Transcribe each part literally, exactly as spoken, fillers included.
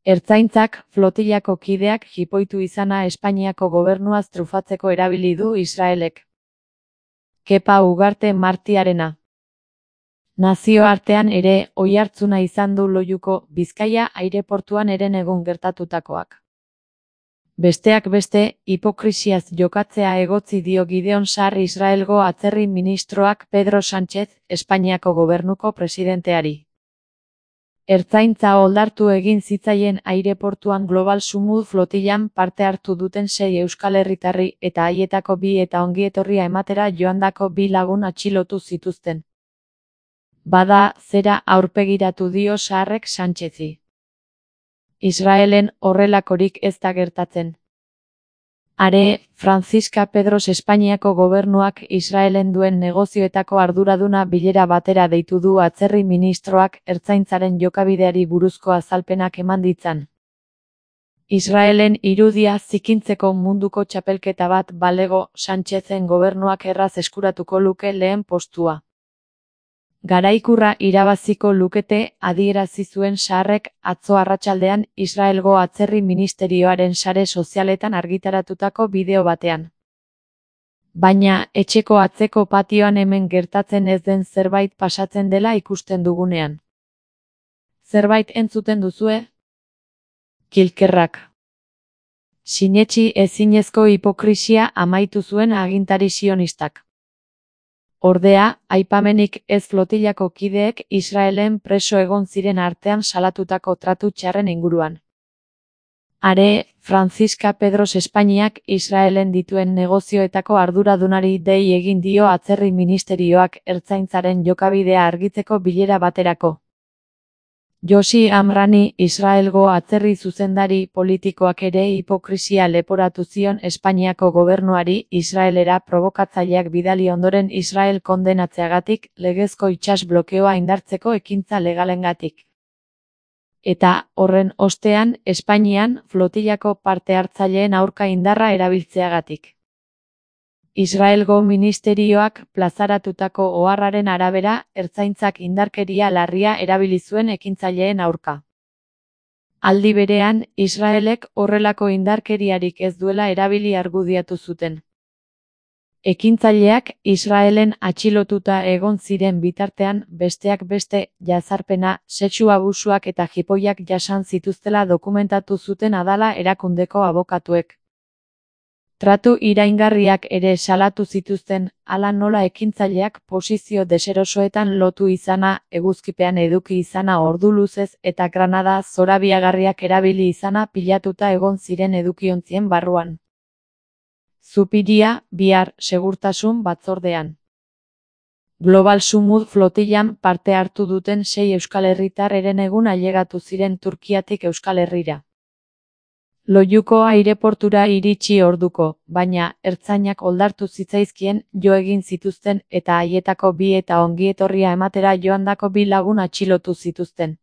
Ertzaintzak flotillako kideak jipoitu izana Espainiako gobernuaz trufatzeko erabili du Israelek. Kepa Ugarte Martiarena. Nazioartean ere oihartzuna izan du Loiuko Bizkaia aireportuan herenegun gertatutakoak. Besteak beste, hipokrisiaz jokatzea egotzi dio Gideon Sar Israelgo atzerri ministroak Pedro Sánchez, Espainiako gobernuko presidenteari. Ertzaintza oldartu egin zitzaien aireportuan Global Sumud flotillan parte hartu duten sei euskal herritarri eta haietako bi eta ongietorria ematera joandako bi lagun atxilotu zituzten. Bada, zera aurpegiratu dio Sarrek Sánchezi. Israelen horrelakorik ez da gertatzen. Are, Francisca Pedros Espainiako gobernuak Israelen duen negozioetako arduraduna bilera batera deitu du atzerri ministroak ertzaintzaren jokabideari buruzko azalpenak eman ditzan. Israelen irudia zikintzeko munduko txapelketa bat balego Sánchezen gobernuak erraz eskuratuko luke lehen postua. Garaikurra irabaziko lukete adierazi zuen Sarrek atzo arratsaldean Israelgo atzerri ministerioaren sare sozialetan argitaratutako bideo batean. Baina, etxeko atzeko patioan hemen gertatzen ez den zerbait pasatzen dela ikusten dugunean. Zerbait entzuten duzue? Kilkerrak. Sinetsi ezinezko hipokrisia amaitu zuen agintari sionistak. Ordea, aipamenik ez flotillako kideek Israelen preso egon ziren artean salatutako tratu txarren inguruan. Are, Francisca Pedros Espainiak Israelen dituen negozioetako arduradunari dei egin dio atzerri ministerioak ertzaintzaren jokabidea argitzeko bilera baterako. Josi Amrani, Israelgo atzerri zuzendari politikoak ere hipokrisia leporatu zion Espainiako gobernuari Israelera probokatzaileak bidali ondoren Israel kondenatzeagatik legezko itsas blokeoa indartzeko ekintza legalengatik. Eta, horren ostean, Espainian flotillako parte hartzaileen aurka indarra erabiltzeagatik. Israelgo ministerioak plazaratutako oharraren arabera, ertzaintzak indarkeria larria erabili zuen ekintzaileen aurka. Aldi berean, Israelek horrelako indarkeriarik ez duela erabili argudiatu zuten. Ekintzaileak Israelen atxilotuta egon ziren bitartean besteak beste jazarpena, sexu abusuak eta jipoiak jasan zituztela dokumentatu zuten Adala erakundeko abokatuek. Tratu iraingarriak ere salatu zituzten, hala nola ekintzaileak posizio deserosoetan lotu izana, eguzkipean eduki izana ordu luzez eta granada zorabiagarriak erabili izana pilatuta egon ziren edukiontzien barruan. Zupiria, bihar, segurtasun batzordean. Global Sumud flotillan parte hartu duten sei euskal herritar herenegun ailegatu ziren Turkiatik Euskal Herrira. Loiuko aireportura iritsi orduko, baina, ertzainak oldartu zitzaizkien jo egin zituzten eta haietako bi eta ongietorria ematera joandako bi lagun atxilotu zituzten.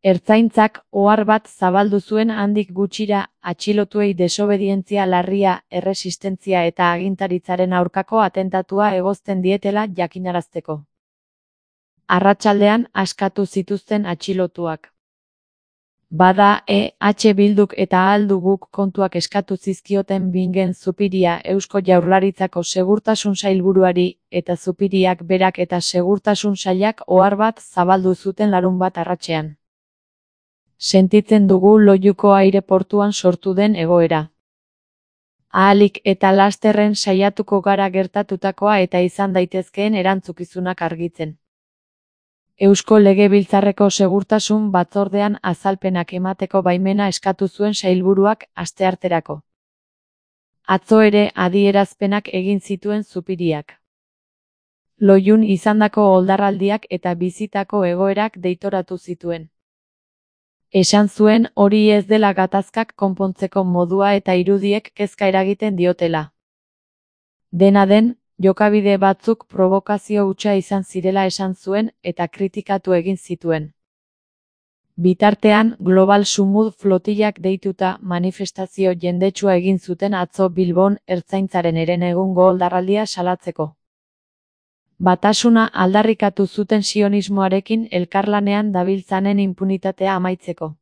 Ertzaintzak ohar bat zabaldu zuen handik gutxira atxilotuei desobedientzia larria, erresistentzia eta agintaritzaren aurkako atentatua egozten dietela jakinarazteko. Arratsaldean askatu zituzten atxilotuak. Bada, E H Bilduk eta Ahal Duguk kontuak eskatu zizkioten Bingen Zupiria Eusko Jaurlaritzako segurtasun sailburuari, eta Zupiriak berak eta segurtasun sailak ohar bat zabaldu zuten larunbat arratsean. Sentitzen dugu Loiuko aireportuan sortu den egoera. Ahalik eta lasterren saiatuko gara gertatutakoa eta izan daitezkeen erantzukizunak argitzen. Eusko Legebiltzarreko segurtasun batzordean azalpenak emateko baimena eskatu zuen sailburuak astearterako. Atzo ere adierazpenak egin zituen Zupiriak. Loiun izandako oldarraldiak eta bizitako egoerak deitoratu zituen. Esan zuen hori ez dela gatazkak konpontzeko modua eta irudiek kezka eragiten diotela. Dena den, jokabide batzuk provokazio hutsa izan zirela esan zuen eta kritikatu egin zituen. Bitartean, Global Sumud flotillak deituta manifestazio jendetsua egin zuten atzo Bilbon ertzaintzaren herenegungo oldarraldia salatzeko. Batasuna aldarrikatu zuten sionismoarekin elkarlanean dabiltzanen inpunitatea amaitzeko.